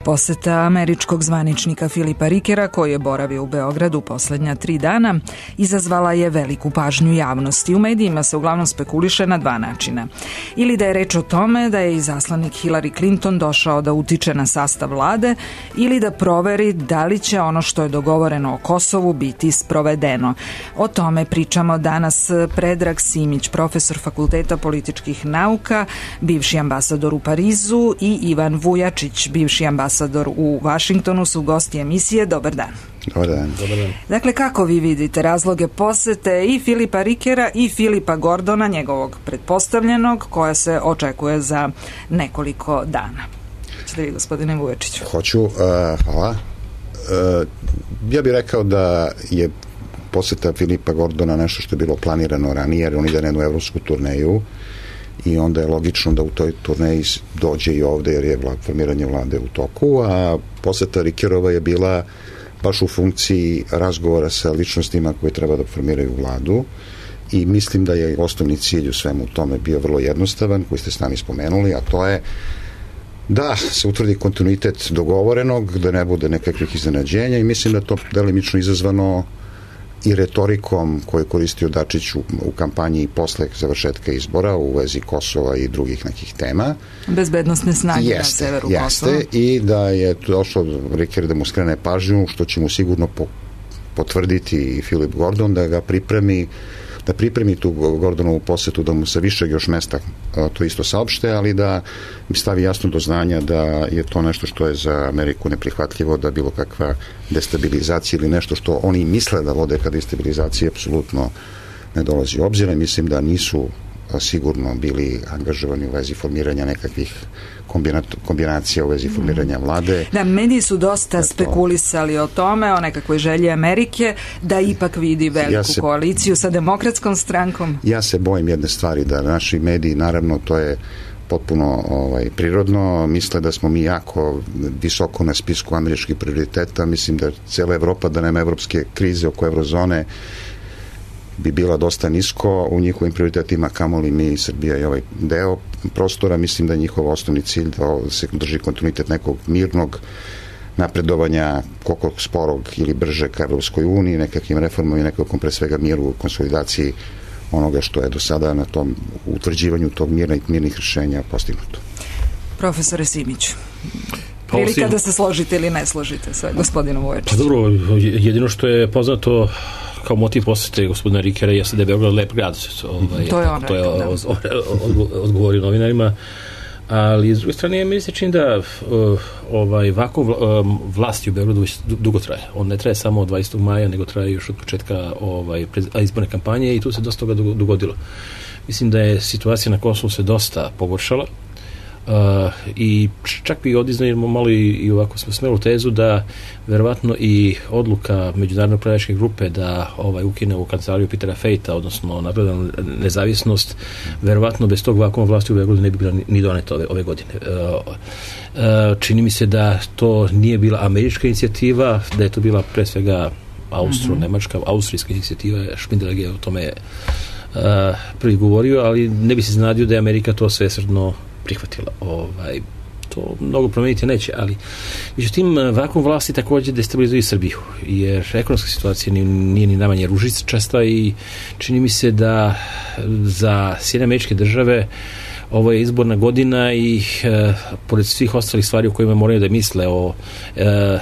poseta američkog zvaničnika Filipa Rikera, koji je boravio u Beogradu poslednja 3 dana, izazvala je veliku pažnju javnosti. U medijima se uglavnom spekuliše na 2 načina. Ili da je reč o tome da je izaslanik Hillary Clinton došao da utiče na sastav vlade, ili da proveri da li će ono što je dogovoreno o Kosovu biti sprovedeno. O tome pričamo danas Predrag Simić, profesor Fakulteta političkih nauka, bivši ambasador u Parizu, i Ivan Vujačić, bivši ambasador u Vašingtonu, su gosti emisije. Dobar dan. Dobar dan. Dakle, kako vi vidite razloge posete i Filipa Rikera i Filipa Gordona, njegovog pretpostavljenog, koja se očekuje za nekoliko dana? Ćete vi, gospodine Vujačiću? Hoću, hvala. Ja bih rekao da je poseta Filipa Gordona nešto što je bilo planirano ranije, jer on ide na jednu evropsku turneju i onda je logično da u toj turneji dođe i ovde, jer je formiranje vlade u toku, a poseta Rikerova je bila baš u funkciji razgovora sa ličnostima koje treba da formiraju vladu, i mislim da je osnovni cilj u svemu tome bio vrlo jednostavan, koji ste s nami spomenuli, a to je da se utvrdi kontinuitet dogovorenog, da ne bude nekakvih iznenađenja, i mislim da to delimično izazvano i retorikom koju je koristio Dačić u kampanji posle završetka izbora u vezi Kosova i drugih nekih tema. Bezbednosne snage na severu Kosova. Jeste, i da je došlo Riker da mu skrene pažnju, što će mu sigurno potvrditi i Filip Gordon, da ga pripremi tu Gordonovu posetu, da mu sa višeg još mesta to isto saopšte, ali da mi stavi jasno do znanja da je to nešto što je za Ameriku neprihvatljivo, da bilo kakva destabilizacija ili nešto što oni misle da vode ka destabilizaciji apsolutno ne dolazi u obzir. Mislim da nisu sigurno bili angažovani u vezi formiranja nekakvih kombinacija u vezi formiranja vlade. Da, mediji su dosta spekulisali o tome, o nekakvoj želji Amerike da ipak vidi veliku koaliciju sa Demokratskom strankom. Ja se bojim jedne stvari, da naši mediji, naravno to je potpuno prirodno, misle da smo mi jako visoko na spisku američkih prioriteta. Mislim da cijela Evropa, da nema evropske krize oko eurozone, bi bila dosta nisko u njihovim prioritetima, kamoli mi, Srbija i ovaj deo prostora. Mislim da je njihov osnovni cilj da se drži kontinuitet nekog mirnog napredovanja, koliko sporog ili brže ka Evropskoj uniji, nekakvim reformama i nekakvom pre svega miru, konsolidaciji onoga što je do sada na tom utvrđivanju tog mirnih rješenja postignuto. Profesore Simiću, prilika da se složite ili ne složite sa gospodinom Vujačićem? Pa dobro, jedino što je poznato kao motiv posete gospodina Rikera jeste da je Beograd lep grad. To je odgovorio novinarima. Ali, s druge strane, meni se čini da ovako vlasti u Beogradu već dugo traje. On ne traje samo od 20. maja, nego traje još od početka izborne kampanje, i tu se dosta toga dogodilo. Mislim da je situacija na Kosovu se dosta pogoršala, i čak bi odiznajemo malo i ovako smo smelu tezu da verovatno i odluka međunarodne upravljačke grupe da ukine u kancelariju Petera Fejta, odnosno napravljena nezavisnost, verovatno bez tog vakuma vlasti u Beogradu ne bi bila ni doneta ove godine. Čini mi se da to nije bila američka inicijativa, da je to bila pre svega austro-nemačka, austrijska inicijativa. Špindelag je o tome prvi govorio, ali ne bi se znadio da je Amerika to svesrdno prihvatila. To mnogo promeniti neće, ali međutim vakuum vlasti također destabilizuje Srbiju, jer ekonomska situacija nije ni najmanje ružičasta, i čini mi se da za Sjedinjene Američke Države ovo je izborna godina, i pored svih ostalih stvari o kojima moraju da misle, o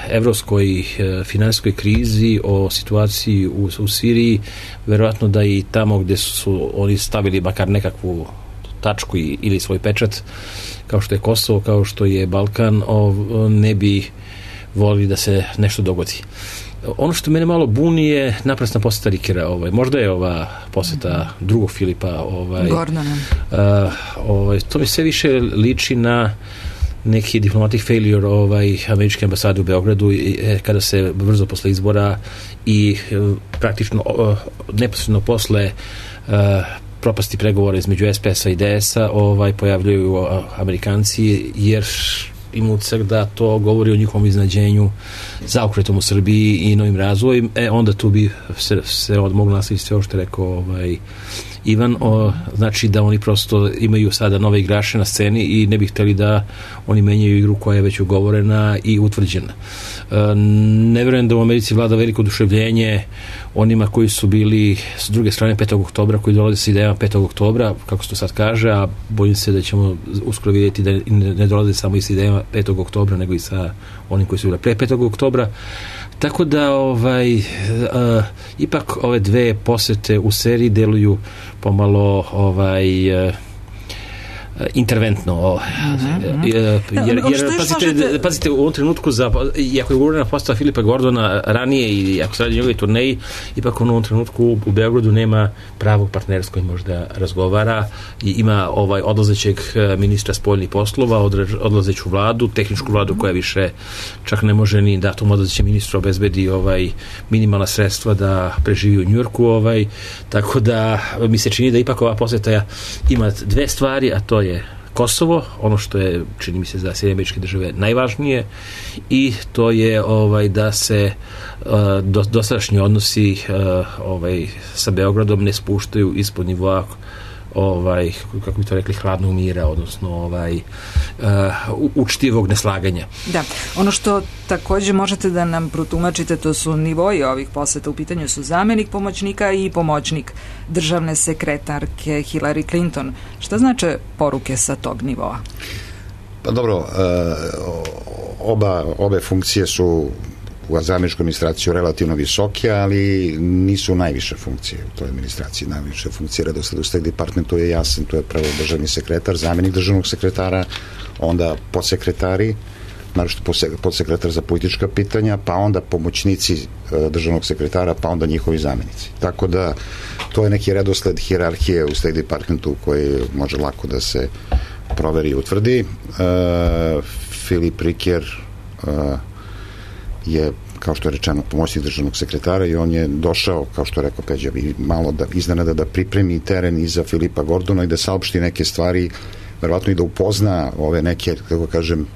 evropskoj finansijskoj krizi, o situaciji u Siriji, verovatno da i tamo gde su oni stavili makar nekakvu tačku ili svoj pečat, kao što je Kosovo, kao što je Balkan, ne bi volili da se nešto dogodi. Ono što mene malo buni je naprasna poseta Rikera. Možda je ova poseta drugog Filipa Gordona. To mi sve više liči na neki diplomatic failure američke ambasade u Beogradu, kada se brzo posle izbora i praktično neposredno posle propasti pregovora između SPS-a i DS-a pojavljaju Amerikanci, jer ima utisak da to govori o njihovom iznenađenju zaokretom u Srbiji i novim razvojem. Onda tu bi se moglo nastaviti sve ovo što je rekao Ivan, znači da oni prosto imaju sada nove igrače na sceni i ne bi hteli da oni menjaju igru koja je već ugovorena i utvrđena. Ne vjerujem da u Americi vlada veliko oduševljenje onima koji su bili s druge strane 5. oktobra, koji dolaze sa idejama 5. oktobra, kako se to sad kaže, a bojim se da ćemo uskoro vidjeti da ne dolaze samo i sa idejama 5. oktobra, nego i sa onim koji su bili pre 5. oktobra. Tako da ipak ove dve posete u seriji deluju pomalo interventno. Jer pazite, u ovom trenutku iako je ugovorena postava Filipa Gordona ranije i ako se radi o njegovoj turneji, ipak on u ovom trenutku u Beogradu nema pravog partnera s kojim možda razgovara i ima odlazećeg ministra spoljnih poslova, odlazeću vladu, tehničku vladu koja više čak ne može ni da tom odlazećem ministru obezbedi minimalna sredstva da preživi u Njujorku, tako da mi se čini da ipak ova poseta ima dve stvari, a to je Kosovo, ono što je, čini mi se, za Sjedinjene Američke Države najvažnije, i to je da se dosadašnji odnosi sa Beogradom ne spuštaju ispod nivoa kako bi to rekli, hladnog mira, odnosno učtivog neslaganja. Da, ono što također možete da nam protumačite, to su nivoji ovih poseta. U pitanju su zamjenik pomoćnika i pomoćnik državne sekretarke Hillary Clinton. Šta znače poruke sa tog nivoa? Pa dobro, obe funkcije su u zamjeničkoj administraciji relativno visoke, ali nisu najviše funkcije u toj administraciji. Najviše funkcije redosled u State Departmentu je jasan, to je prvo državni sekretar, zamjenik državnog sekretara, onda podsekretari, naročito podsekretar za politička pitanja, pa onda pomoćnici državnog sekretara, pa onda njihovi zamjenici. Tako da to je neki redosled hijerarhije u State Departmentu koji može lako da se proveri i utvrdi. Filip Riker je, kao što je rečeno, pomoćnik državnog sekretara i on je došao, kao što je rekao Peđa, malo iznenada da pripremi teren i za Filipa Gordona i da saopšti neke stvari, verovatno i da upozna ove neke, kako kažem,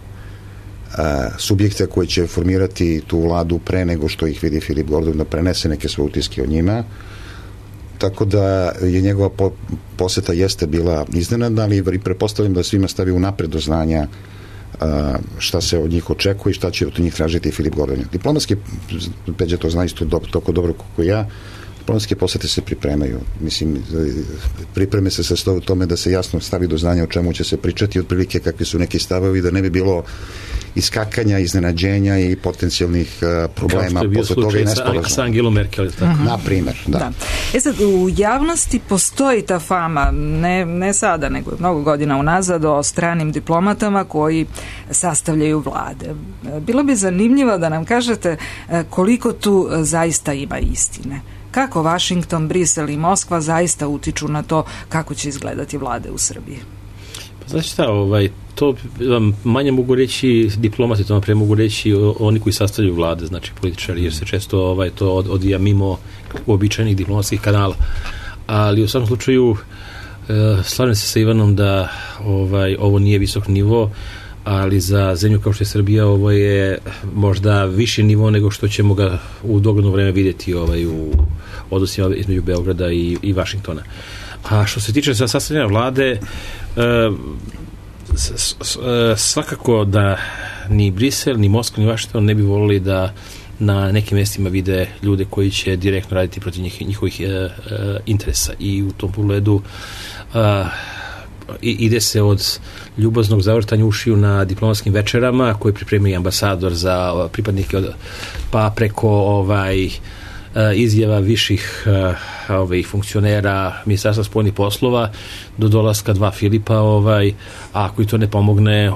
subjekte koji će formirati tu vladu pre nego što ih vidi Filip Gordon, da prenese neke svoje utiske o njima. Tako da je njegova poseta jeste bila iznenadna, ali i pretpostavljam da svima stavi unapred do znanja šta se od njih očekuje i šta će od njih tražiti Filip Gordon. Diplomatski, Peđa to zna isto toliko dobro kako ja, diplomatske posete se pripremaju. Mislim, pripreme se sa tome da se jasno stavi do znanja o čemu će se pričati, otprilike kakvi su neki stavovi, da ne bi bilo iskakanja, iznenađenja i potencijalnih problema posle toga i nesporazuma. Sa Angelom Merkel, tako? Na primjer, da. Sad, u javnosti postoji ta fama, ne sada, nego mnogo godina unazad, o stranim diplomatama koji sastavljaju vlade. Bilo bi zanimljivo da nam kažete koliko tu zaista ima istine. Kako Washington, Brisel i Moskva zaista utiču na to kako će izgledati vlade u Srbiji? Pa znači šta, to vam manje mogu reći diplomati, to vam pre mogu reći oni koji sastavljaju vlade, znači političari, jer se često to odvija mimo uobičajenih diplomatskih kanala. Ali u svakom slučaju slažem se sa Ivanom da ovo nije visok nivo, ali za zemlju kao što je Srbija ovo je možda viši nivo nego što ćemo ga u dogledno vreme vidjeti u odnosima između Beograda i Vašingtona. A što se tiče sastavljanja vlade, svakako da ni Brisel, ni Moskva, ni Vašington ne bi volili da na nekim mjestima vide ljude koji će direktno raditi protiv njihovih interesa, i u tom pogledu ide se od ljubaznog zavrtanja ušiju na diplomatskim večerama koje pripremi ambasador za pripadnike, pa preko izjava viših funkcionera Ministarstva spoljnih poslova do dolaska dva Filipa, a ako i to ne pomogne,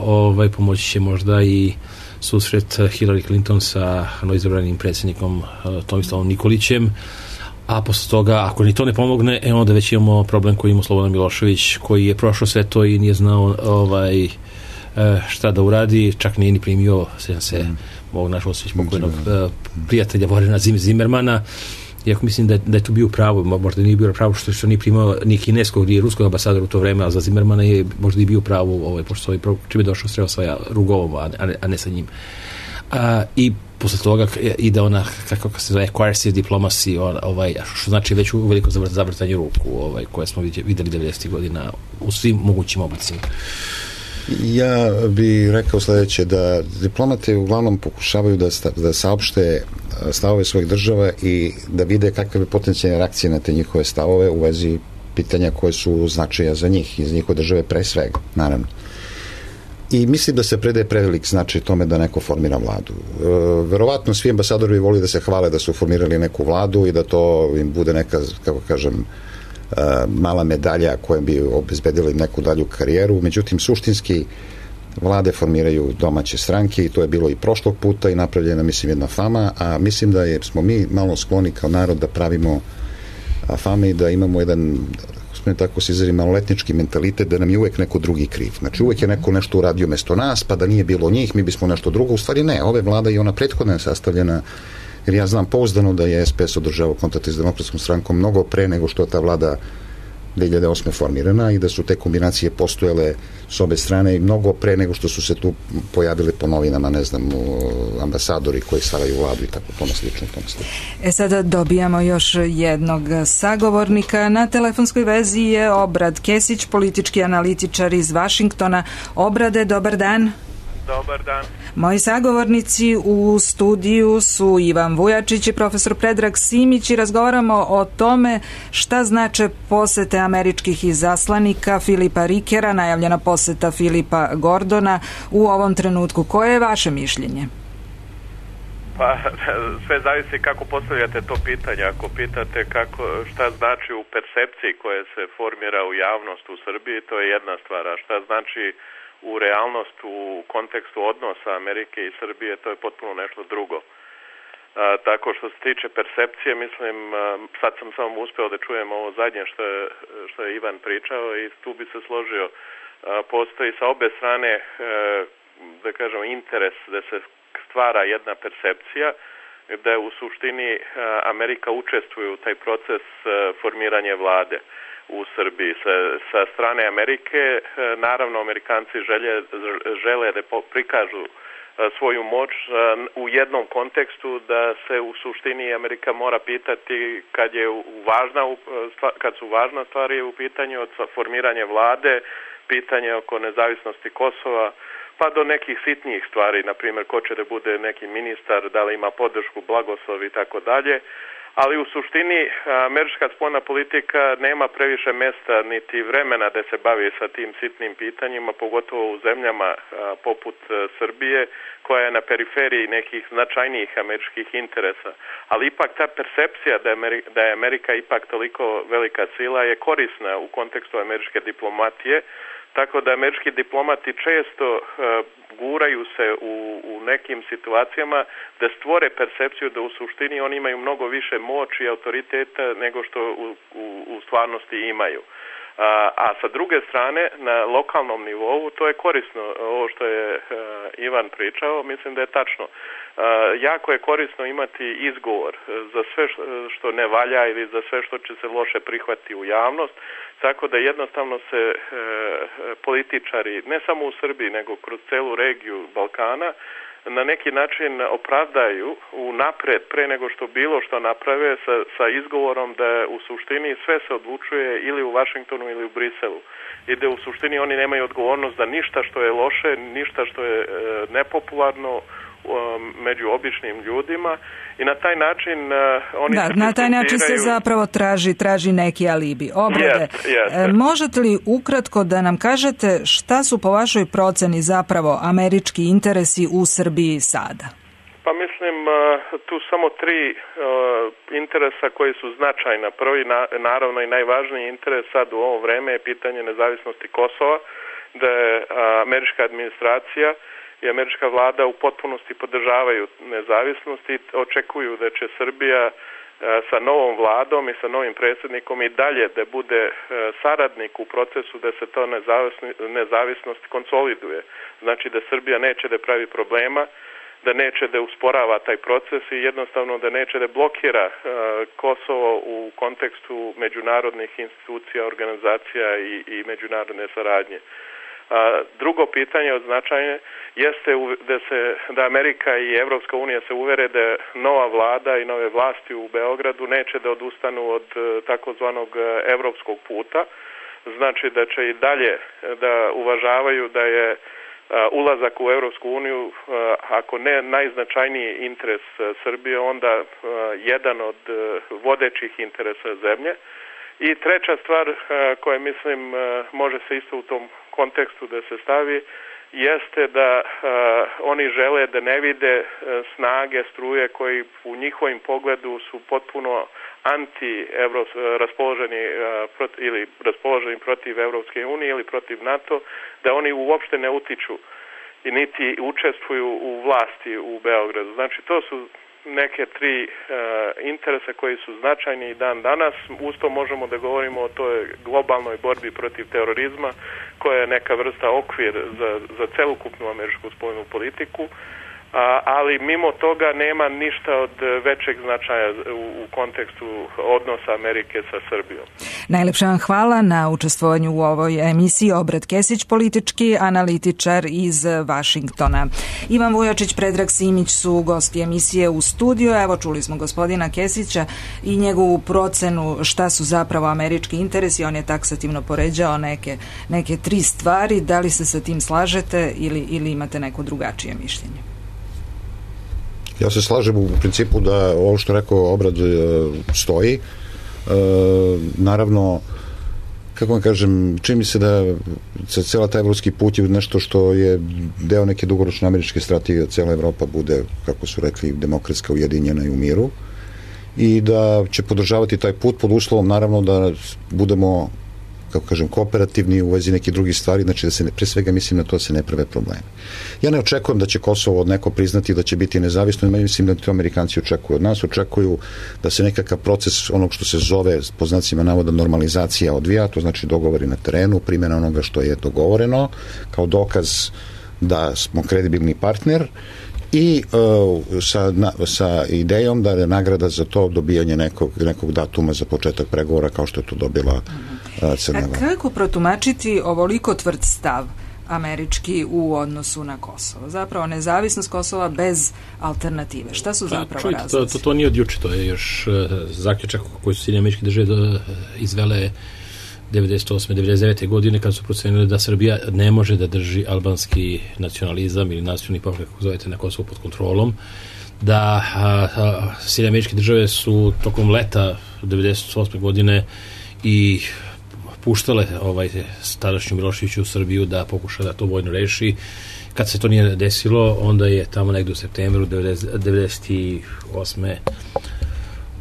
pomoći će možda i susret Hillary Clinton sa novoizabranim predsjednikom Tomislavom Nikolićem, a posle toga, ako ni to ne pomogne, onda već imamo problem koji ima Slobodan Milošević, koji je prošao sve to i nije znao šta da uradi, čak nije ni primio ovog našeg pokojnog prijatelja Vorena Zimmermana, iako mislim da je tu bio pravo, možda nije bio pravo što nije primao ni kineskog ni ruskog ambasadora u to vreme, ali za Zimmermana je možda i bio pravo, pošto čim je došao sreo sa Rugovom, a ne sa njim. I posle toga ide ona, kako se zove, coercive diplomacy, što znači već uveliko zavrtanje ruku, koje smo videli 90. godina u svim mogućim oblicima. Ja bih rekao sledeće, da diplomate uglavnom pokušavaju da saopšte stavove svojih država i da vide kakve bi potencijalne reakcije na te njihove stavove u vezi pitanja koje su značaja za njih i za njihove države pre svega, naravno. I mislim da se predaje prevelik značaj tome da neko formira vladu. Verovatno svi ambasadori voli da se hvale da su formirali neku vladu i da to im bude neka, kako kažem, mala medalja koja bi obezbedila im neku dalju karijeru. Međutim, suštinski vlade formiraju domaće stranke i to je bilo i prošlog puta i napravljena, mislim, jedna fama, a mislim da smo mi malo skloni kao narod da pravimo fame i da imamo jedan, tako se izrazi, maloletnički mentalitet da nam je uvek neko drugi kriv. Znači uvek je neko nešto uradio mesto nas, pa da nije bilo njih, mi bismo nešto drugo. U stvari ne, ove vlada i ona prethodna je sastavljena, jer ja znam pouzdano da je SPS održavao kontakte s Demokratskom strankom mnogo pre nego što je ta vlada 2008. formirana i da su te kombinacije postojale s obe strane i mnogo pre nego što su se tu pojavili po novinama, ne znam, ambasadori koji stvaraju vladu i tako tome slično. Sada dobijamo još jednog sagovornika. Na telefonskoj vezi je Obrad Kesić, politički analitičar iz Vašingtona. Obrade, dobar dan. Dobar dan. Moji sagovornici u studiju su Ivan Vujačić i profesor Predrag Simić i razgovaramo o tome šta znače posete američkih izaslanika Filipa Rikera, najavljena poseta Filipa Gordona u ovom trenutku. Koje je vaše mišljenje? Pa, sve zavisi kako postavljate to pitanje. Ako pitate šta znači u percepciji koje se formira u javnost u Srbiji, to je jedna stvar. A šta znači u realnost u kontekstu odnosa Amerike i Srbije, to je potpuno nešto drugo. Tako što se tiče percepcije, mislim, sad sam samo uspeo da čujem ovo zadnje što je Ivan pričao i tu bi se složio. Postoji sa obe strane, da kažem, interes da se stvara jedna percepcija, da u suštini Amerika učestvuje u taj proces formiranja vlade u Srbiji. Sa strane Amerike, naravno, Amerikanci žele da prikažu svoju moć u jednom kontekstu, da se u suštini Amerika mora pitati kad su važna stvari u pitanju, od formiranja vlade, pitanje oko nezavisnosti Kosova, pa do nekih sitnijih stvari, na primjer ko će da bude neki ministar, da li ima podršku, blagoslov i tako dalje. Ali u suštini američka spoljna politika nema previše mesta niti vremena da se bavi sa tim sitnim pitanjima, pogotovo u zemljama poput Srbije, koja je na periferiji nekih značajnijih američkih interesa. Ali ipak ta percepcija da je Amerika ipak toliko velika sila je korisna u kontekstu američke diplomatije, tako da američki diplomati često guraju se u nekim situacijama da stvore percepciju da u suštini oni imaju mnogo više moći i autoriteta nego što u stvarnosti imaju. A sa druge strane, na lokalnom nivou, to je korisno. Ovo što je Ivan pričao, mislim da je tačno. Jako je korisno imati izgovor za sve što ne valja ili za sve što će se loše prihvatiti u javnost, tako da jednostavno se političari, ne samo u Srbiji, nego kroz celu regiju Balkana, na neki način opravdaju unapred pre nego što bilo što naprave sa izgovorom da u suštini sve se odlučuje ili u Vašingtonu ili u Briselu. I da u suštini oni nemaju odgovornost za ništa što je loše, ništa što je nepopularno među običnim ljudima i na taj način oni na taj način se zapravo traži neki alibi. Obrade, možete li ukratko da nam kažete šta su po vašoj proceni zapravo američki interesi u Srbiji sada? Pa mislim, tu samo tri interesa koji su značajna. Prvi, naravno i najvažniji interes sad u ovo vreme je pitanje nezavisnosti Kosova, da je američka administracija i američka vlada u potpunosti podržavaju nezavisnost i očekuju da će Srbija sa novom vladom i sa novim predsjednikom i dalje da bude saradnik u procesu da se to nezavisnost konsoliduje. Znači da Srbija neće da pravi problema, da neće da usporava taj proces i jednostavno da neće da blokira Kosovo u kontekstu međunarodnih institucija, organizacija i međunarodne saradnje. Drugo pitanje od značajne jeste da Amerika i Evropska unija se uvere da nova vlada i nove vlasti u Beogradu neće da odustanu od takozvanog evropskog puta. Znači da će i dalje da uvažavaju da je ulazak u Evropsku uniju, ako ne najznačajniji interes Srbije, onda jedan od vodećih interesa zemlje. I treća stvar koja mislim može se isto u tom kontekstu da se stavi, jeste da oni žele da ne vide snage, struje koji u njihovim pogledu su potpuno raspoloženi protiv Evropske unije ili protiv NATO, da oni uopšte ne utiču i niti učestvuju u vlasti u Beogradu. Znači to su neke tri interesa koji su značajni i dan danas. Usto možemo da govorimo o toj globalnoj borbi protiv terorizma, koja je neka vrsta okvir za celokupnu američku spoljnu politiku, ali mimo toga nema ništa od većeg značaja u kontekstu odnosa Amerike sa Srbijom. Najlepša vam hvala na učestvovanju u ovoj emisiji. Obrat Kesić, politički analitičar iz Vašingtona. Ivan Vujačić, Predrag Simić su gosti emisije u studiju. Evo, čuli smo gospodina Kesića i njegovu procenu šta su zapravo američki interesi. On je taksativno poređao neke tri stvari. Da li se sa tim slažete ili imate neko drugačije mišljenje? Ja se slažem u principu da ovo što rekao Obrad stoji. Naravno, kako vam kažem, čini mi se da cijela taj evropski put je nešto što je deo neke dugoročne američke strategije, da cijela Evropa bude, kako su rekli, demokratska, ujedinjena i u miru, i da će podržavati taj put pod uslovom, naravno, da budemo, kako kažem, kooperativni u vezi nekih drugih stvari, znači da se, pre svega mislim na to da se ne prave probleme. Ja ne očekujem da će Kosovo od neko priznati da će biti nezavisno, mislim da to Amerikanci očekuju od nas, očekuju da se nekakav proces onog što se zove, po znacima navoda, normalizacija odvija, to znači dogovori na terenu, primjena onoga što je dogovoreno, kao dokaz da smo kredibilni partner, i sa idejom da je nagrada za to dobijanje nekog datuma za početak pregovora, kao što je to dobila Crna Gora. Kako protumačiti ovoliko tvrd stav američki u odnosu na Kosovo? Zapravo nezavisnost Kosova bez alternative. Šta su zapravo razlozi? To nije od juče, to je još zaključak koji su Sjedinjene Američke Države izvele 98. 99. godine, kad su procenili da Srbija ne može da drži albanski nacionalizam ili nacionalni pokret, kako zovete, na Kosovu pod kontrolom, da Sjedinjene Američke Države su tokom leta 98. godine i puštale tadašnju Miloševiću u Srbiju da pokuša da to vojno reši. Kad se to nije desilo, onda je tamo negdje u septembru 98.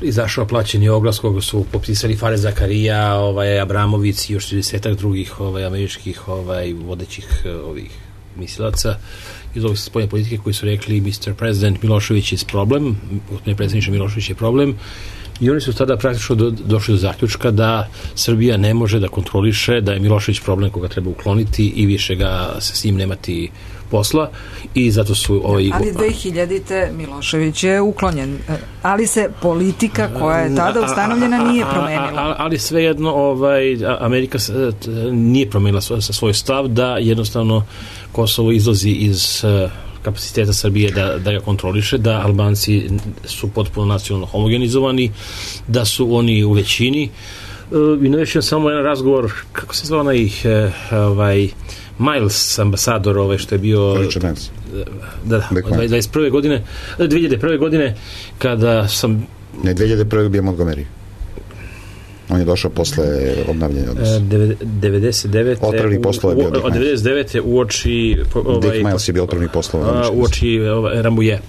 izašao plaćeni oglas koga su potpisali Fares Zakarija, Abramović i još 30 drugih američkih vodećih mislilaca iz ovih spoljne politike, koji su rekli Mr. President, Milošević je problem, predsjedniče Milošević je problem, i oni su tada praktično došli do zaključka da Srbija ne može da kontroliše, da je Milošević problem koga treba ukloniti i više ga se s njim nemati posla, i zato su ali 2000. Milošević je uklonjen, ali se politika koja je tada ustanovljena nije promenila. Ali svejedno Amerika nije promenila svoj stav da jednostavno Kosovo izlazi iz kapaciteta Srbije da ga kontroliše, da Albanci su potpuno nacionalno homogenizovani, da su oni u većini. I navešćem samo jedan razgovor, kako se zvao Miles, ambasador, što je bio 2001. godine, kada sam... Ne, 2001. bio Montgomery. On je došao posle obnavljanja odnosa. 99. Otpravnih poslova je bio Dick Miles. 99. uoči... Dick Miles je bio otpravnih poslova. Uoči Rambuje.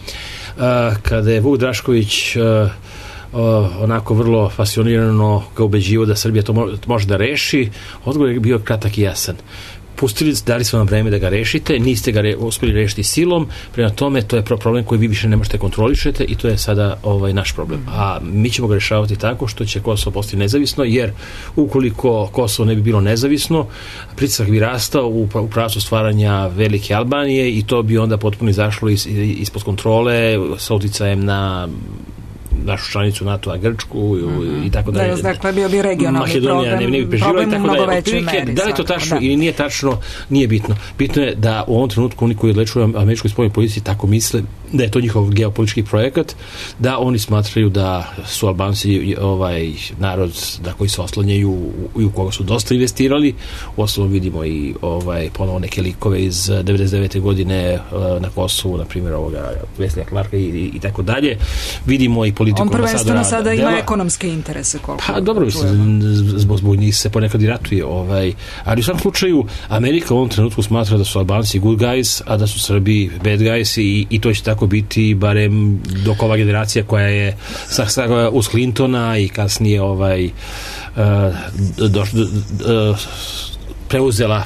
Kada je Vuk Drašković onako vrlo pasionirano ga ubeđivo da Srbija to može da reši, odgovor je bio kratak i jasan. Dali smo vam vreme da ga rešite, niste ga uspjeli rešiti silom, prema tome to je problem koji vi više ne možete kontrolišete i to je sada naš problem. A mi ćemo ga rešavati tako što će Kosovo postati nezavisno, jer ukoliko Kosovo ne bi bilo nezavisno, pritisak bi rastao u pravcu stvaranja velike Albanije i to bi onda potpuno izašlo ispod kontrole sa uticajem na našu članicu NATO-a, Grčku i tako dalje. Dakle, bio bi regionalni Makedonija ne bi preživjela i tako dalje. Meri, da li to tačno ili nije tačno, nije bitno. Bitno je da u ovom trenutku oni koji odlečuju američkoj spoljnoj politici tako misle da je to njihov geopolitički projekat, da oni smatraju da su Albanci narod da koji se oslanjaju i u koga su dosta investirali. U osnovu vidimo i ponovo neke likove iz 99. godine na Kosovu, na primjer Veslija Clarka i tako dalje. Vidimo i politiku ambasadora. On prvenstveno sada ima ekonomske interese. Pa dobro, zbog njih se ponekad i ratuje. Ali u svakom slučaju Amerika u ovom trenutku smatra da su Albanci good guys, a da su Srbi bad guys i to će tako biti barem dok ova generacija koja je uz Clintona i kasnije preuzela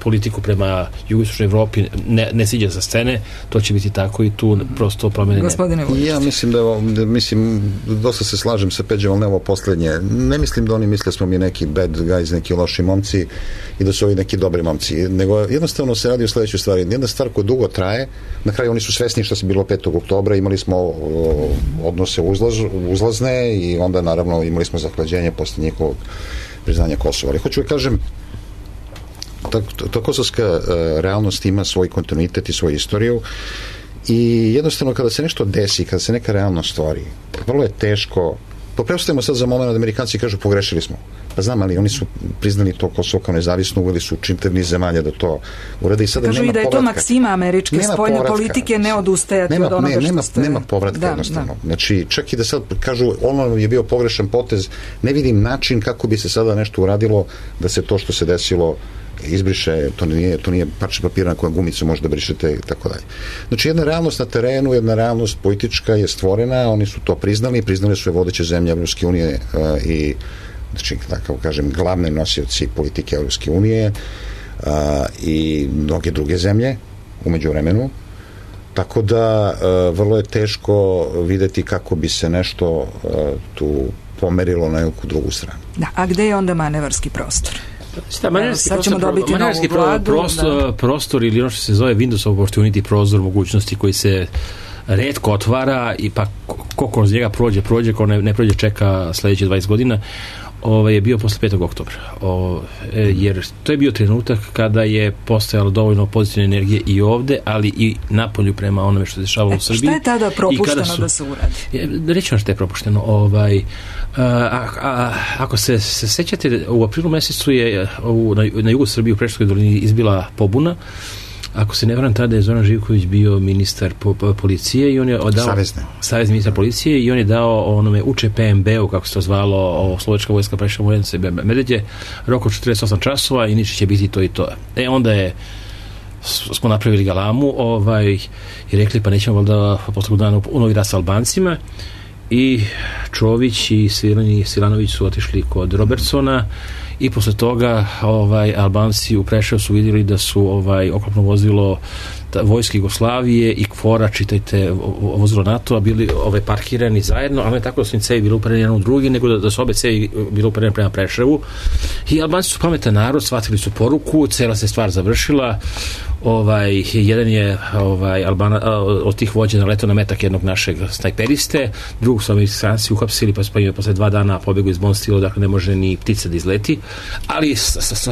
politiku prema jugoistočnoj Evropi ne siđe sa scene, to će biti tako i tu prosto promene. Ja mislim dosta se slažem sa Peđom, ali ne ovo poslednje. Ne mislim da oni misle da smo mi neki bad guys, neki loši momci i da su ovi neki dobri momci, nego jednostavno se radi o sledećoj stvari. Jedna stvar koja dugo traje, na kraju oni su svesni što se bilo 5. oktobra, imali smo odnose uzlazne i onda naravno imali smo zahlađenje posle njihovog priznanja Kosova. Ali hoću da kažem, ta kosovska realnost ima svoj kontinuitet i svoju istoriju i jednostavno kada se nešto desi, kada se neka realnost stvori, vrlo je teško. Preostavimo sad za moment da Amerikanci kažu pogrešili smo. Pa znam, ali oni su priznali to Kosovo kao nezavisno, uveli su čitav niz zemalja da to urade i sada kažu nema povratka. Kažu i da je to maksima američke spoljne politike, ne odustajati od onoga što ste... Nema povratka jednostavno. Znači, čak i da sad kažu ono je bio pogrešan potez, ne vidim način kako bi se sada nešto uradilo da se to što se desilo izbriše, to nije parče papira na kojem gumicu možda brišete i tako dalje. Znači, jedna realnost na terenu, jedna realnost politička je stvorena, oni su to priznali su je vodeće zemlje Evropske unije i, znači, tako kažem, glavne nosioci politike Evropske unije i mnoge druge zemlje u međuvremenu. Tako da vrlo je teško videti kako bi se nešto tu pomerilo na neku drugu stranu. Da, a gde je onda manevarski prostor? Sad ćemo dobiti novu vladu. Prostor ili ono što se zove Windows Opportunity, prozor mogućnosti koji se retko otvara i pa ko kroz njega prođe, ko ne prođe čeka sledeće 20 godina, je bio posle 5. oktobra. Jer to je bio trenutak kada je postojalo dovoljno pozitivne energije i ovde, ali i napolju prema onome što se dešavalo u Srbiji. Šta je tada propušteno da se uradi? Reći vam što je propušteno. Ako se sećate, u aprilu mesecu je na jugu Srbije u Preševskoj dolini izbila pobuna. Ako se ne varam, tada je Zoran Živković bio ministar policije i on je dao savezni ministar policije i on je dao onome UČPMB-u, kako se to zvalo, Slovačka vojska Preševa Vojnica Medveđe, rok od 48 časova i niče će biti to i to. Onda smo napravili galamu i rekli pa nećemo valjda posle dana u Novi Rat sa Albancima i Čović i Svilanović su otišli kod Robertsona i posle toga Albanci u Preševu su vidjeli da su oklopno vozilo vojske Jugoslavije i KFOR-a, čitajte vozilo NATO-a, bili parkirani zajedno, ali ne tako da su im cevi bili upereni jedan u drugi, nego da su obe cevi bili upereni prema Preševu i Albanci su pametan narod, shvatili su poruku, cela se stvar završila. Jedan je od tih vođa naletao na metak jednog našeg snajperiste, drugog su Amerikanci uhapsili, pa posle 2 dana pobegu iz Bonstilo, dakle ne može ni ptica da izleti, ali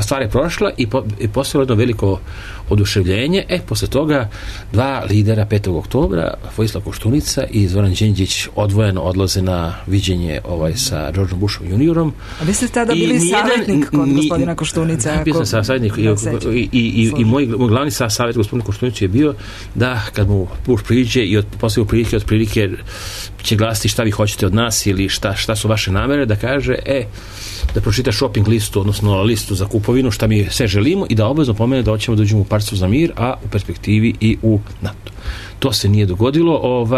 stvar je prošla i postojalo jedno veliko oduševljenje. Posle toga 2 lidera 5. oktobra, Vojislav Koštunica i Zoran Đinđić odvojeno odlaze na viđenje sa Georgeom Bushom juniorom. A vi ste tada bili savjetnik kod gospodina Koštunica? Bio sam savjetnik i moj glavni savjet gospodinu Koštunicu je bio da kad mu Bush priđe i posle otprilike će glasiti šta vi hoćete od nas ili šta su vaše namere, da kaže da pročita shopping listu, odnosno listu za kupovinu, šta mi sve želimo i da obavezno pomene da hoćemo da uđemo u Partiju za mir, a u perspektivi i u NATO. To se nije dogodilo,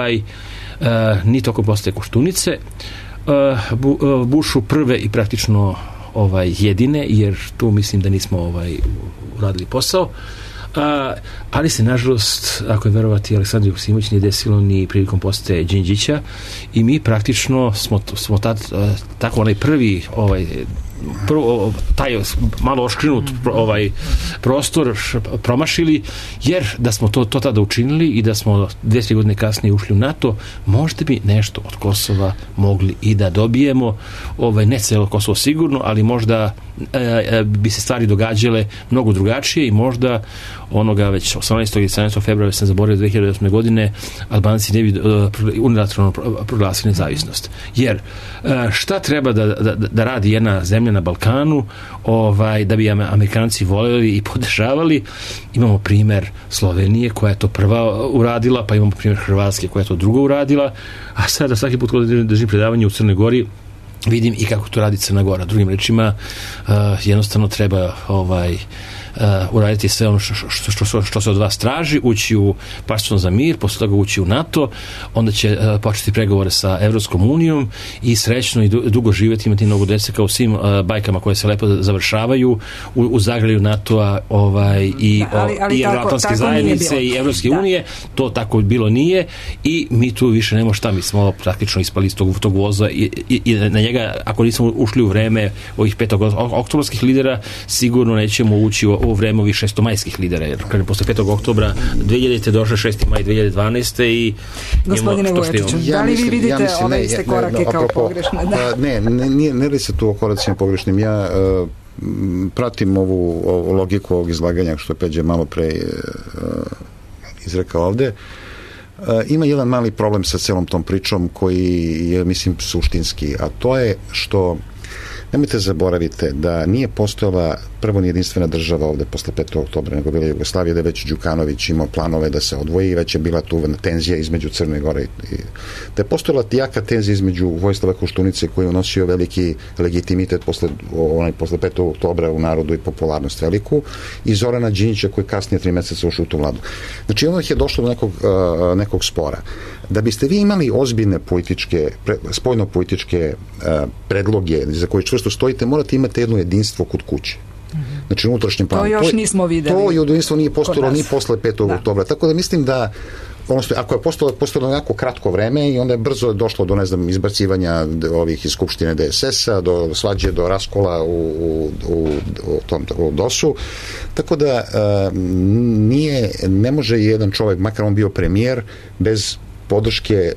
ni tokom postaje Koštunice. Bushu prve i praktično jedine, jer tu mislim da nismo uradili posao. Ali se nažalost, ako je verovati Aleksandar Joksimović, nije desilo ni prilikom postaje Đinđića i mi praktično smo tako onaj prvi taj malo oškrinut prostor promašili, jer da smo to tada učinili i da smo 2-3 godine kasnije ušli u NATO, možda bi nešto od Kosova mogli i da dobijemo, ne celo Kosovo sigurno, ali možda bi se stvari događale mnogo drugačije i možda onoga već 18. i 17. februara sam zaboravio 2008. godine Albanci ne bi unilateralno proglasili nezavisnost. Jer šta treba da radi jedna zemlja na Balkanu da bi Amerikanci voljeli i podržavali? Imamo primer Slovenije koja je to prva uradila, pa imamo primer Hrvatske koja je to drugo uradila, a sada svaki put kada držim predavanje u Crnoj Gori vidim i kako to radi Crna Gora. Drugim rečima, jednostavno treba uraditi sve ono što se od vas traži, ući u Partnerstvo za mir, posle toga ući u NATO, onda će početi pregovore sa Evropskom unijom i srećno i dugo živjeti, imati mnogo dece kao u svim bajkama koje se lepo završavaju u zagrljaju NATO-a i Evroatlantske zajednice i Evropske unije. To tako bilo nije i mi tu više nemamo šta, mi smo praktično ispali iz tog voza i na njega, ako nismo ušli u vreme ovih 5. oktobarskih lidera, sigurno nećemo ući u vreme ovih 6. lidera, jer posle 5. oktobra 2000. došle 6. maj 2012. i gospodine Vujačiću, da li vi vidite ove iste korake kao pogrešne? Ne li se tu o koracima pogrešnim. Ja pratim ovu logiku ovog izlaganja što je Peđa malo pre izrekao ovde. Ima jedan mali problem sa celom tom pričom koji je, mislim, suštinski, a to je što nemojte zaboravite da nije postojala prvo jedinstvena država ovde posle 5. oktobra, nego bila Jugoslavija, da je već Đukanović imao planove da se odvoji i već je bila tu tenzija između Crne Gore da je postojala jaka tenzija između Vojislava Koštunice koji je unosio veliki legitimitet posle 5. oktobra u narodu i popularnost veliku, i Zorana Đinđića koji kasnije 3 meseca ušao u tu vladu. Znači onda je došlo do nekog spora. Da biste vi imali ozbiljne spoljno-političke predloge za koje čvrsto stojite, morate imati jedno jedinstvo kod kuće. Znači unutrašnjem planu. To još nismo videli. To jedinstvo nije postojalo ni posle 5. oktobra. Tako da mislim da ako je postojalo jako kratko vreme i onda je brzo došlo do, izbacivanja ovih iz Skupštine DSS-a, do svađe, do raskola u DOS-u. Tako da ne može jedan čovjek, makar on bio premijer, bez podrške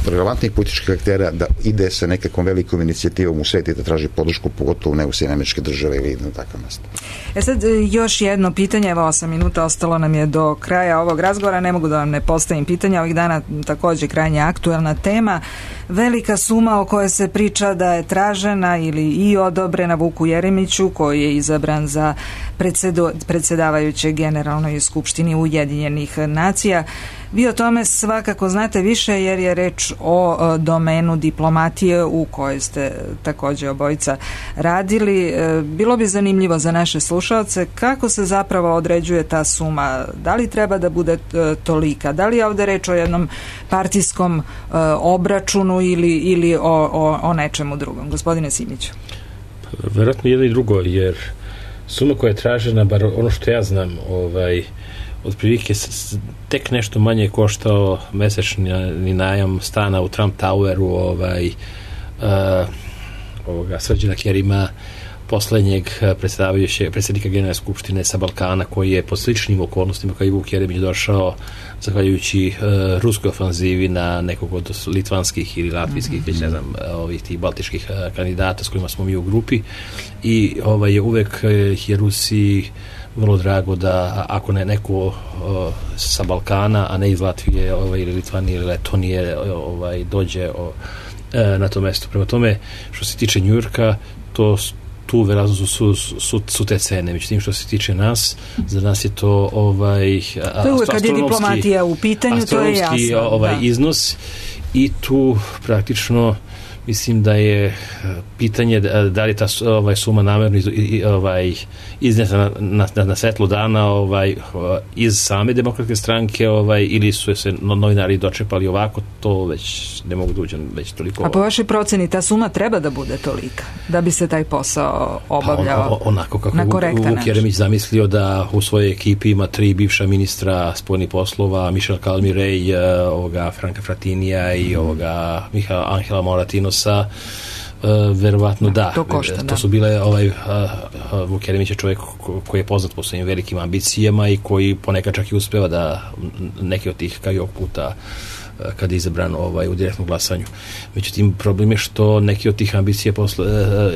relevantnih političkih aktera da ide sa nekakvom velikom inicijativom u svijetu i da traži podršku, pogotovo ne u Sjedinjene Američke Države ili na takav mesto. Sad još jedno pitanje, evo 8 minuta ostalo nam je do kraja ovog razgovora, ne mogu da vam ne postavim pitanja, ovih dana također krajnje aktuelna tema, velika suma o kojoj se priča da je tražena ili i odobrena Vuku Jeremiću koji je izabran za predsjedavajućeg Generalnoj skupštini Ujedinjenih nacija. Vi o tome svakako znate više jer je reč o domenu diplomatije u kojoj ste također obojica radili. Bilo bi zanimljivo za naše slušalce kako se zapravo određuje ta suma. Da li treba da bude tolika? Da li je ovdje reč o jednom partijskom obračunu ili o nečemu drugom? Gospodine Simiću. Vjerojatno jedno i drugo, jer suma koja je tražena, bar ono što ja znam, otprilike tek nešto manje koštao mesečni najam stana u Trump Toweru Srđana Kerima, poslednjeg predsjednika Generalne skupštine sa Balkana, koji je po sličnim okolnostima kao i Vuk Jeremić došao zahvaljujući ruskoj ofanzivi na nekog od litvanskih ili latvijskih, već ne znam, tih baltičkih kandidata s kojima smo mi u grupi, i uvek je Rusiji vrlo drago da ako ne neko sa Balkana, a ne iz Latvije ili Litvanije ili Letonije dođe na to mesto. Prema tome, što se tiče Njujorka, tu verazno su te cene. Međutim, što se tiče nas, za nas je to kad je diplomatija u pitanju, to je jasno. Iznos, i tu praktično mislim da je pitanje da li je ta suma namjerno izneta na svetlo dana iz same demokratske stranke ili su se novinari dočepali ovako, to već ne mogu da uđem već toliko. A po vašoj proceni ta suma treba da bude tolika da bi se taj posao obavljao onako kako na korektan način? Vuk Jeremić zamislio da u svojoj ekipi ima 3 bivša ministra spoljnih poslova, Michel Calmirej, Franka Fratinija i Angela Moratinosa, Verovatno da. To košta, to su bile Vuk Jeremić je čovjek koji je poznat po svojim velikim ambicijama i koji ponekad čak i uspeva da neke od tih, kao i ovog puta kada je izabran u direktnom glasanju. Međutim, problem je što neki od tih ambicija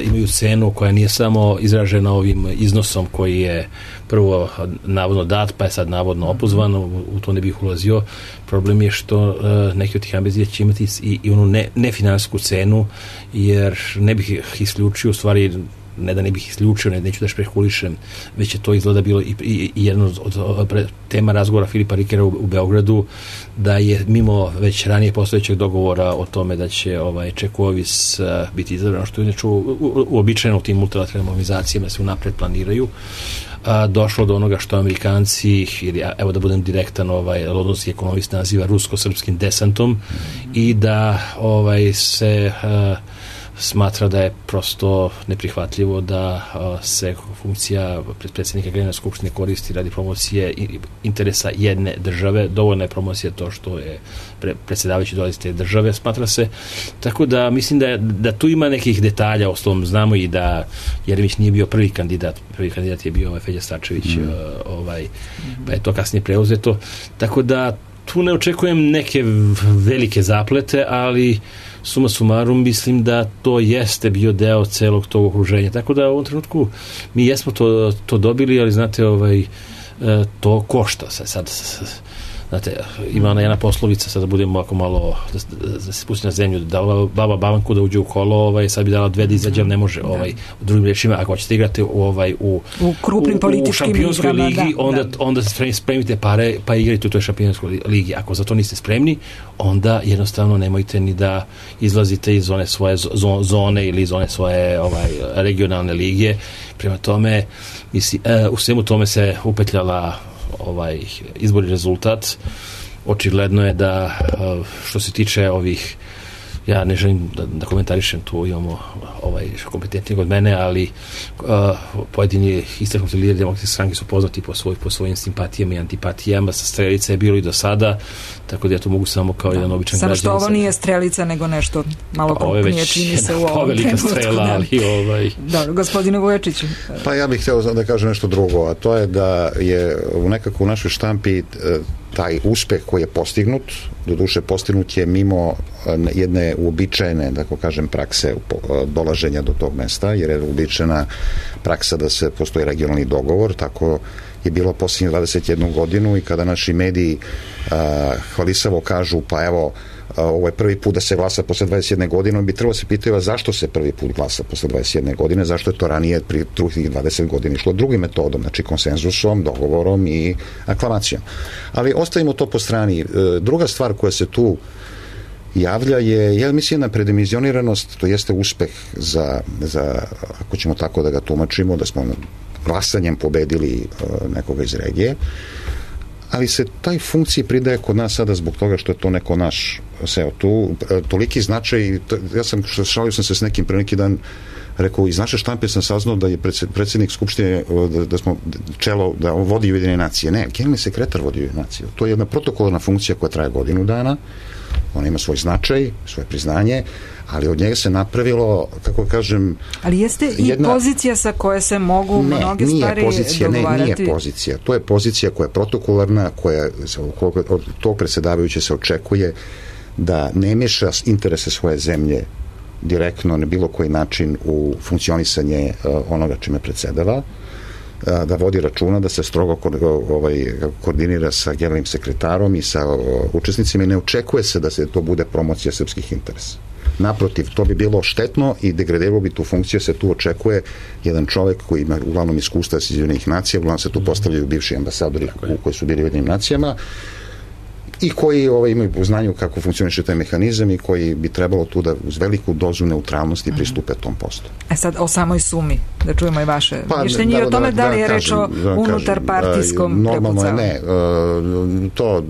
imaju cenu koja nije samo izražena ovim iznosom koji je prvo navodno dat, pa je sad navodno opozvan, u to ne bih ulazio. Problem je što neki od tih ambicija će imati i onu nefinansijsku cenu, jer ne bih isključio, u stvari ne da ne bih isključio, neću da špekulišem, već je to izgleda bilo i jedno od tema razgovora Filipa Rikera u Beogradu, da je mimo već ranije postojećeg dogovora o tome da će Čekovis biti izabran, što je inače uobičajeno u tim multilateralnim organizacijama se unapred planiraju, došlo do onoga što Amerikanci, ili evo da budem direktan, londonski ekonomist naziva rusko-srpskim desantom, i da se smatra da je prosto neprihvatljivo da se funkcija predsjednika Generalne skupštine koristi radi promocije interesa jedne države. Dovoljna je promocija to što je predsjedavajući dolazi te države, smatra se. Tako da mislim da tu ima nekih detalja, ostalom znamo i da Jeremić nije bio prvi kandidat je bio Feđa Starčević, pa je to kasnije preuzeto. Tako da tu ne očekujem neke velike zaplete, ali suma sumarum mislim da to jeste bio deo celog tog okruženja. Tako da u ovom trenutku mi jesmo to dobili, ali znate, to košta se sad. Znate, ima ona jedna poslovica, sad da budemo ovako malo, da se spusti na zemlju, dala baba babanku da uđe u kolo, sad bi dala 2 da izađe, ali ne može. U drugim rečima, ako ćete igrati u krupnim političkim šampionskoj igrama, ligi, onda spremite pare pa igrajte u toj šampionskoj ligi. Ako za to niste spremni, onda jednostavno nemojte ni da izlazite iz one svoje zone ili iz one svoje regionalne lige. Prema tome, u svemu tome se upetljala izborni rezultat. Očigledno je da što se tiče ovih, ja ne želim da komentarišem, tu imamo kompetentnijeg od mene, ali pojedini istaknuti lideri Demokratske stranke su poznati po svojim simpatijama i antipatijama. Sa Strelica je bilo i do sada, tako da ja to mogu samo kao jedan običan građanin. Samo što ovo nije Strelica, nego nešto malo krupnije čini se u ovom trenutku. Strela, ali Dobro, gospodine Vujačiću. Pa ja bih hteo da kažem nešto drugo, a to je da je nekako u našoj štampi taj uspeh koji je postignut, doduše postignut je mimo jedne uobičajene, da kažem, prakse dolaženja do tog mesta, jer je uobičajena praksa da se postoji regionalni dogovor, tako je bilo posljednjih 21 godinu, i kada naši mediji hvalisavo kažu, pa evo, ovo je prvi put da se glasa posle 21 godine, bi trebalo se pitaju zašto se prvi put glasa posle 21 godine, zašto je to ranije pri drugih 20 godina išlo drugim metodom, znači konsenzusom, dogovorom i aklamacijom. Ali ostavimo to po strani. Druga stvar koja se tu javlja je, ja mislim, jedna predimenzioniranost, to jeste uspeh za, ako ćemo tako da ga tumačimo, da smo glasanjem pobedili nekoga iz regije, ali se taj funkciji pridaje kod nas sada zbog toga što je to neko naš seo. Tu toliki značaj, šalio sam se s nekim pre neki dan, rekao, iz naše štampe sam saznao da je predsjednik Skupštine, da smo čelo, da on vodi Ujedinjene nacije. Ne, generalni sekretar vodi Ujedinjene nacije. To je jedna protokolarna funkcija koja traje godinu dana, ona ima svoj značaj, svoje priznanje, ali od njega se napravilo, kako kažem... Ali jeste i pozicija sa koje se mogu mnoge stvari dogovarati? Nije pozicija. To je pozicija koja je protokolarna, od tog predsjedavajuće se očekuje da ne meša interese svoje zemlje direktno na bilo koji način u funkcionisanje onoga čime predsedava, da vodi računa, da se strogo koordinira sa generalnim sekretarom i sa učesnicima, i ne očekuje se da se to bude promocija srpskih interesa. Naprotiv, to bi bilo štetno i degradiralo bi tu funkciju. Se tu očekuje jedan čovek koji ima uglavnom iskustva iz Ujedinjenih nacija, uglavnom se tu postavljaju bivši ambasadori koji su bili u Ujedinjenim nacijama i koji imaju u znanju kako funkcioniše taj mehanizam i koji bi trebalo tu da uz veliku dozu neutralnosti pristupe tom poslu. Sad o samoj sumi, da čujemo i vaše mišljenje i o tome da li je reč o unutarpartijskom normalno ne. To,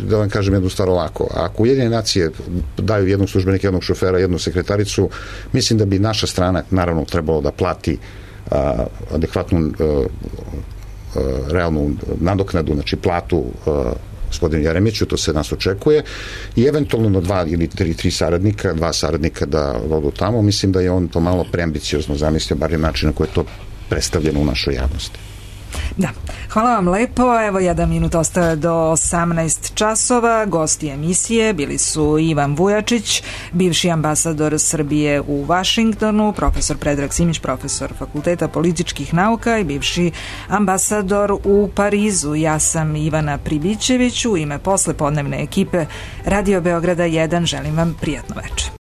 da vam kažem jednu stvar ovako. Ako Ujedinjene nacije daju jednog službenika, jednog šofera, jednu sekretaricu, mislim da bi naša strana naravno trebalo da plati adekvatnu realnu nadoknadu, znači platu gospodinu Jeremiću, to se nas očekuje, i eventualno na 2 ili 3 saradnika, 2 saradnika da vodu tamo. Mislim da je on to malo preambiciozno zamislio, bar je način na koji je to predstavljeno u našoj javnosti. Da, hvala vam lepo. Evo 1 minut ostaje do 18 časova. Gosti emisije bili su Ivan Vujačić, bivši ambasador Srbije u Vašingtonu, profesor Predrag Simić, profesor Fakulteta političkih nauka i bivši ambasador u Parizu. Ja sam Ivana Pribićević. U ime poslepodnevne ekipe Radio Beograda 1 želim vam prijatno večer.